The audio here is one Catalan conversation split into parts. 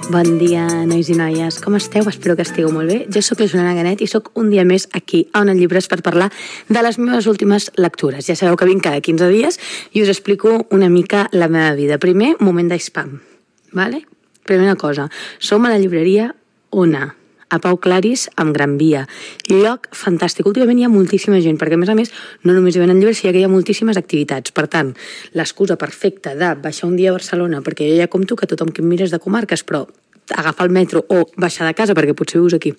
Bon dia, nois i noies. Com esteu? Espero que estigueu molt bé. Jo sóc la Juliana Ganet i sóc un dia més aquí a Ona Llibres per parlar de les meves últimes lectures. Ja sabeu que vinc cada 15 dies i us explico una mica la meva vida. Primer, moment d'espam. Vale? Primera cosa, som a la llibreria Ona, a Pau Claris, amb Gran Via. Lloc fantàstic. Últimament hi ha moltíssima gent, perquè a més, no només hi venen llibres, sinó que hi ha moltíssimes activitats. Per tant, l'excusa perfecta de baixar un dia a Barcelona, perquè jo ja compto que tothom que em mira és de comarques, però agafar el metro o baixar de casa, perquè potser vius aquí,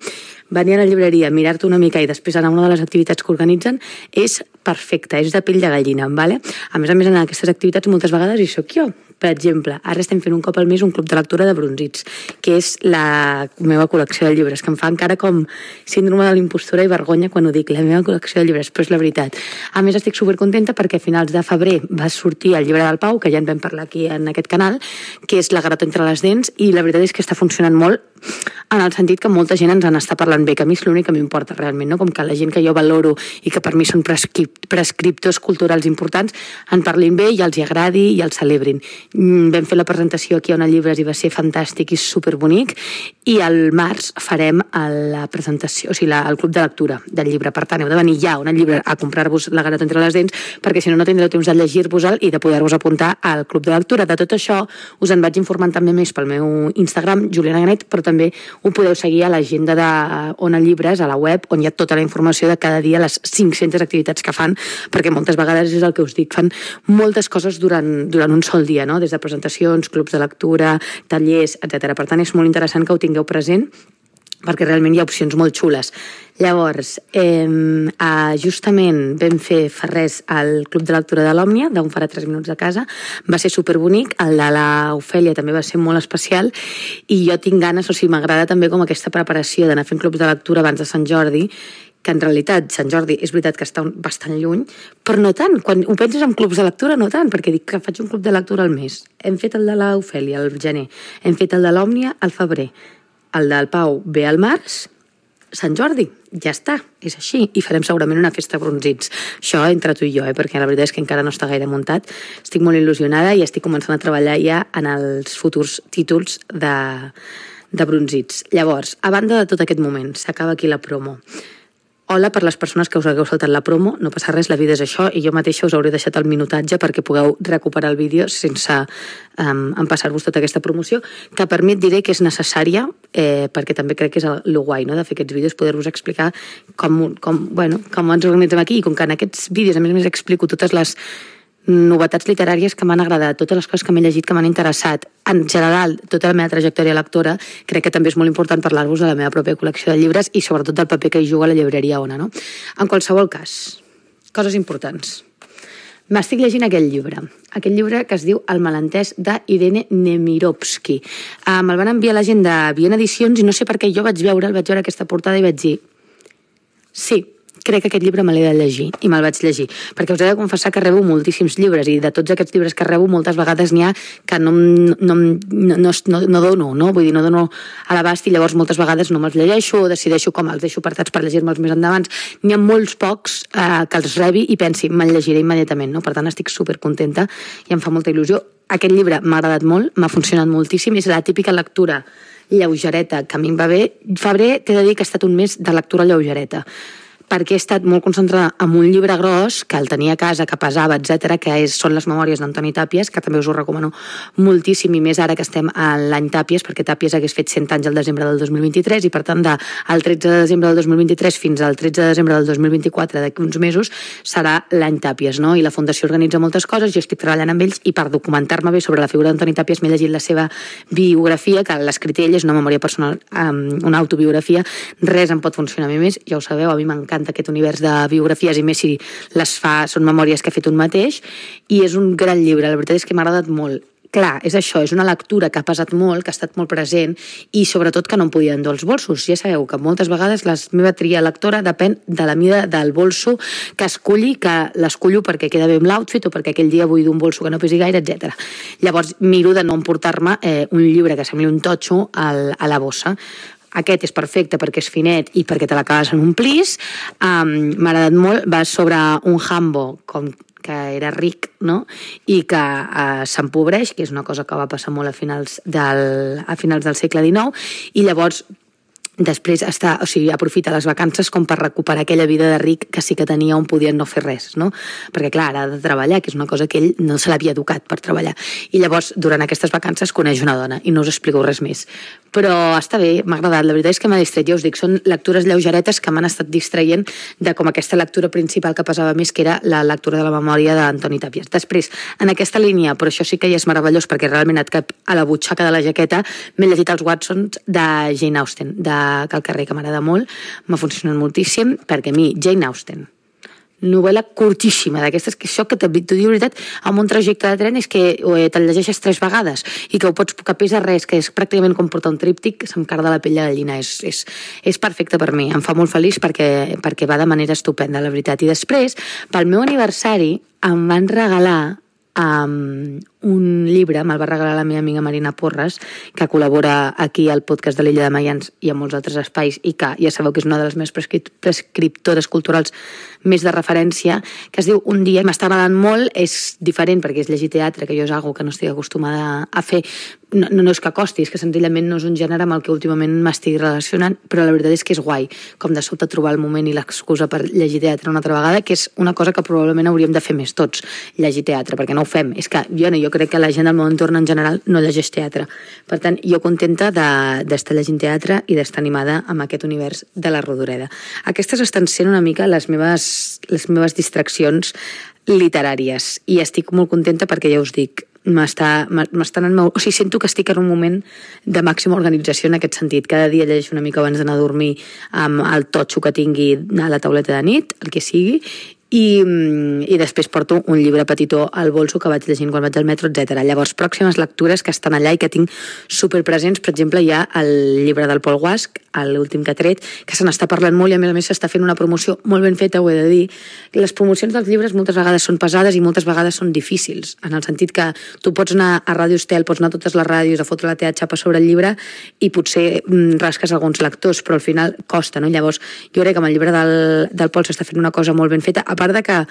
venir a la llibreria, mirar-te una mica i després anar a una de les activitats que organitzen, és perfecte, és de pell de gallina, vale? A més, en aquestes activitats moltes vegades hi soc jo. Per exemple, ara estem fent un cop al mes un club de lectura de Brunzits, que és la meva col·lecció de llibres, que em fa encara com síndrome de l'impostora i vergonya quan ho dic, la meva col·lecció de llibres, però és la veritat. A més, estic supercontenta perquè a finals de febrer va sortir el llibre del Pau, que ja en vam parlar aquí en aquest canal, que és La garota entre les dents, i la veritat és que està funcionant molt en el sentit que molta gent ens en està parlant bé, que a mi és l'únic que m'importa realment, no? Com que la gent que jo valoro i que per mi són prescriptors culturals importants en parlin bé i els hi agradi i els celebrin. Vam fer la presentació aquí a Ona Llibres i va ser fantàstic i superbonic, i al març farem la presentació, o sigui, el club de lectura del llibre. Per tant, heu de venir ja a Ona Llibres a comprar-vos La garota entre les dents, perquè si no, no tindreu temps de llegir-vos-el i de poder-vos apuntar al club de lectura. De tot això us en vaig informant també més pel meu Instagram, Juliana Ganet, però també ho podeu seguir a l'agenda d'Ona Llibres, a la web, on hi ha tota la informació de cada dia, les 500 activitats que fan, perquè moltes vegades és el que us dic, fan moltes coses durant un sol dia, no? Des de presentacions, clubs de lectura, tallers, etc. Per tant, és molt interessant que ho tingueu present, perquè realment hi ha opcions molt xules. Llavors, justament vam fer fa res al Club de Lectura de l'Òmnia, d'on farà 3 minuts a casa, va ser superbonic, el de l'Ofèlia també va ser molt especial, i jo tinc ganes, o sigui, m'agrada també com aquesta preparació d'anar fent clubs de lectura abans de Sant Jordi, que en realitat Sant Jordi és veritat que està bastant lluny, però no tant. Quan ho penses en clubs de lectura, no tant, perquè dic que faig un club de lectura al mes. Hem fet el de l'Ofèlia al gener, hem fet el de l'Òmnia al febrer, el del Pau ve al març, Sant Jordi, ja està, és així, i farem segurament una festa Brunzits. Això entre tu i jo, perquè la veritat és que encara no està gaire muntat. Estic molt il·lusionada i estic començant a treballar ja en els futurs títols de Brunzits. Llavors, a banda de tot aquest moment, s'acaba aquí la promo. Hola per les persones que us hagueu saltat la promo, no passa res, la vida és això, i jo mateixa us hauré deixat el minutatge perquè pugueu recuperar el vídeo sense empassar-vos tota aquesta promoció, que per mi et diré que és necessària, perquè també crec que és el guai, no?, de fer aquests vídeos, poder-vos explicar com ens organitzem aquí, i com que en aquests vídeos a més explico totes les novetats literàries que m'han agradat, totes les coses que m'he llegit que m'han interessat, en general, tota la meva trajectòria lectora, crec que també és molt important parlar-vos de la meva pròpia col·lecció de llibres i sobretot del paper que hi juga a la llibreria Ona, no? En qualsevol cas, coses importants. M'estic llegint aquest llibre que es diu El malentès d'Irene Nemirovsky. Me'l van enviar la gent de Viena Edicions i no sé per què jo vaig veure aquesta portada i vaig dir sí, crec que aquest llibre me l'he de llegir, i me'l vaig llegir, perquè us he de confessar que rebo moltíssims llibres, i de tots aquests llibres que rebo moltes vegades n'hi ha que no dono, no? Vull dir, no dono a l'abast, i llavors moltes vegades no me'ls llegeixo, o decideixo com els deixo apartats per llegir-me'ls més endavant. N'hi ha molts pocs que els rebi i pensi, me'l llegiré immediatament, no? Per tant, estic supercontenta i em fa molta il·lusió. Aquest llibre m'ha agradat molt, m'ha funcionat moltíssim, és la típica lectura lleugereta que a mi em va bé. Febrer, t'he de dir que ha estat un mes de lectura lleugereta, perquè he estat molt concentrada en un llibre gros, que el tenia a casa, que pesava, etc, que són les memòries d'Antoni Tàpies, que també us ho recomano moltíssim, i més ara que estem a l'any Tàpies, perquè Tàpies hagués fet 100 anys al desembre del 2023, i per tant, del 13 de desembre del 2023 fins al 13 de desembre del 2024, d'aquí uns mesos, serà l'any Tàpies, no? I la Fundació organitza moltes coses, jo estic treballant amb ells, i per documentar-me bé sobre la figura d'Antoni Tàpies m'he llegit la seva biografia, que l'ha escrit ell, és una memòria personal, una autobiografia, res em pot funcionar a mi més, ja ho sabeu, a mi m'encanta aquest univers de biografies, i més si les fa, són memòries que ha fet un mateix, i és un gran llibre, la veritat és que m'ha agradat molt. Clar, és això, és una lectura que ha pesat molt, que ha estat molt present, i sobretot que no em podia endur els bolsos. Ja sabeu que moltes vegades la meva tria lectora depèn de la mida del bolso que esculli, que l'escullo perquè queda bé amb l'outfit o perquè aquell dia vull d'un bolso que no pesi gaire, etc. Llavors miro de no emportar-me un llibre que sembli un totxo a la bossa. Aquest és perfecte perquè és finet i perquè te l'acabes en un plis. M'ha agradat molt, va sobre un jambo, com que era ric, no? I que s'empobreix, que és una cosa que va passar molt a finals del segle XIX, i llavors després aprofita les vacances com per recuperar aquella vida de ric que sí que tenia on podien no fer res, no? Perquè clar, ara ha de treballar, que és una cosa que ell no se l'havia educat per treballar. I llavors, durant aquestes vacances, coneix una dona, i no us explico res més. Però està bé, m'ha agradat, la veritat és que m'ha distret, ja us dic, són lectures lleugeretes que m'han estat distraient de com aquesta lectura principal que pesava més, que era la lectura de la memòria d'Antoni Tàpies. Després, en aquesta línia, però això sí que ja és meravellós, perquè realment et cap a la butxaca de la jaqueta, m'he llegit els Watsons de Jane Austen, que al carrer, que m'agrada molt, m'ha funcionat moltíssim, perquè a mi, Jane Austen, novel·la curtíssima, d'aquestes que això que t'ho diu veritat, amb un trajecte de tren és que te'l llegeixes 3 vegades i que que pesa res, que és pràcticament com portar un tríptic, se'm carda la pell de gallina, és perfecte per mi, em fa molt feliç perquè va de manera estupenda, la veritat. I després, pel meu aniversari, em van regalar un llibre, me'l va regalar la meva amiga Marina Porres, que col·labora aquí al podcast de l'Illa de Mayans i a molts altres espais, i que ja sabeu que és una de les meves prescriptores culturals més de referència, que es diu Un dia. M'està agradant molt, és diferent perquè és llegir teatre, que jo és algo que no estic acostumada a fer. No és que costi, és que senzillament no és un gènere amb el que últimament m'estic relacionant, però la veritat és que és guai, com de sobte trobar el moment i l'excusa per llegir teatre una altra vegada, que és una cosa que probablement hauríem de fer més tots, llegir teatre, perquè no ho fem. És que jo crec que la gent del meu entorn en general no llegeix teatre. Per tant, jo contenta d'estar llegint teatre i d'estar animada amb aquest univers de la Rodoreda. Aquestes estan sent una mica les meves distraccions literàries i estic molt contenta perquè ja us dic, sento que estic en un moment de màxima organització en aquest sentit. Cada dia llegeixo una mica abans d'anar a dormir amb el totxo que tingui a la tauleta de nit, el que sigui, i després porto un llibre petitó al bolso que vaig llegint quan vaig al metro, etc. Llavors, pròximes lectures que estan allà i que tinc superpresents, per exemple, hi ha el llibre del Pol Guasch, l'últim que ha tret, que se n'està parlant molt i a més s'està fent una promoció molt ben feta, ho he de dir. Les promocions dels llibres moltes vegades són pesades i moltes vegades són difícils, en el sentit que tu pots anar a Ràdio Estel, pots anar a totes les ràdios a fotre la teva xapa sobre el llibre i potser rasques alguns lectors, però al final costa, no? Llavors, jo crec que amb el llibre del Pol s'està fent una cosa molt ben feta, a part de que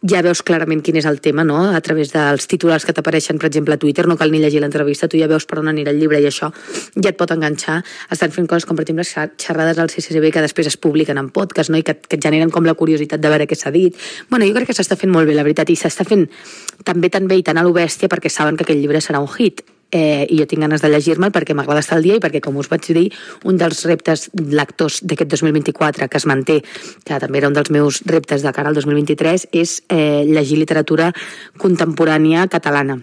ja veus clarament quin és el tema, no? A través dels titulars que t'apareixen, per exemple, a Twitter, no cal ni llegir l'entrevista, tu ja veus per on anirà el llibre i això ja et pot enganxar. Estan fent coses com, per exemple, xerrades al CCCB que després es publiquen en podcast, no? I que et generen com la curiositat de veure què s'ha dit. Bueno, jo crec que s'està fent molt bé, la veritat, i s'està fent també tan bé i tan a lo bèstia perquè saben que aquell llibre serà un hit. I jo tinc ganes de llegir-me'l perquè m'agrada estar al dia i perquè, com us vaig dir, un dels reptes lectors d'aquest 2024 que es manté, que també era un dels meus reptes de cara al 2023, és llegir literatura contemporània catalana.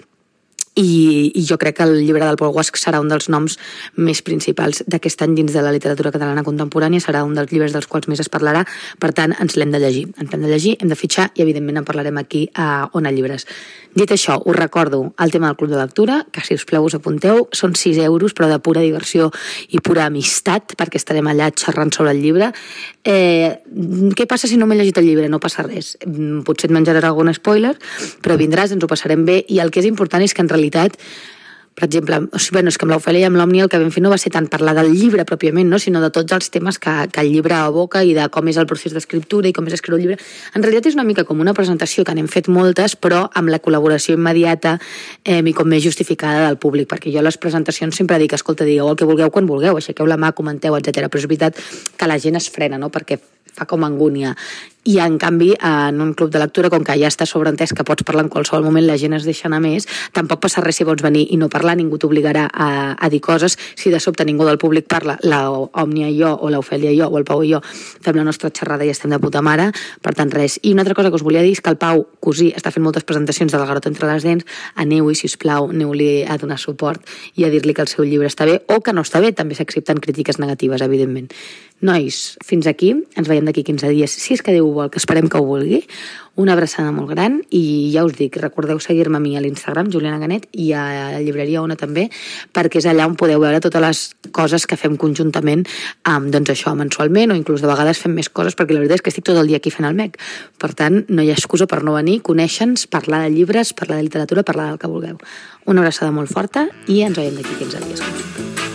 I jo crec que el llibre del Pol Guasch serà un dels noms més principals d'aquest any dins de la literatura catalana contemporània, serà un dels llibres dels quals més es parlarà, per tant, ens l'hem de llegir. Hem de llegir, hem de fitxar i, evidentment, en parlarem aquí a Ona Llibres. Dit això, us recordo el tema del Club de Lectura, que si us plau us apunteu, són 6 euros, però de pura diversió i pura amistat, perquè estarem allà xerrant sobre el llibre. Què passa si no m'he llegit el llibre? No passa res. Potser et menjaràs algun spoiler, però vindràs, ens ho passarem bé, i el que és important és que en realitat, per exemple, és que amb l'Ofèlia i amb l'Òmnia el que vam fer no va ser tant parlar del llibre pròpiament, no? Sinó de tots els temes que el llibre aboca i de com és el procés d'escriptura i com és escriure el llibre. En realitat és una mica com una presentació que n'hem fet moltes, però amb la col·laboració immediata i com més justificada del públic, perquè jo a les presentacions sempre dic, escolta, digueu el que vulgueu quan vulgueu, aixequeu la mà, comenteu, etc. Però és veritat que la gent es frena, no? Perquè fa com angúnia. I en canvi, en un club de lectura, com que ja està sobreentès que pots parlar en qualsevol moment, la gent es deixa anar més, tampoc passa res si vols venir i no parlar, ningú t'obligarà a dir coses. Si de sobte ningú del públic parla, l'Òmnia i jo, o l'Ofèlia i jo, o el Pau i jo, fem la nostra xerrada i estem de puta mare, per tant res. I una altra cosa que us volia dir és que el Pau Cosí està fent moltes presentacions de La garota entre les dents, aneu-hi, sisplau, aneu-li a donar suport i a dir-li que el seu llibre està bé, o que no està bé, també s'accepten crítiques negatives, evidentment. Nois, fins aquí, ens veiem d'aquí 15 dies, si és que Déu ho vol, que esperem que ho vulgui. Una abraçada molt gran i ja us dic, recordeu seguir-me a mi a l'Instagram, Juliana Ganet, i a la llibreria Ona també, perquè és allà on podeu veure totes les coses que fem conjuntament, doncs això, mensualment, o inclús de vegades fem més coses, perquè la veritat és que estic tot el dia aquí fent el MEC. Per tant, no hi ha excusa per no venir, conèixer-nos, parlar de llibres, parlar de literatura, parlar del que vulgueu. Una abraçada molt forta i ens veiem d'aquí 15 dies.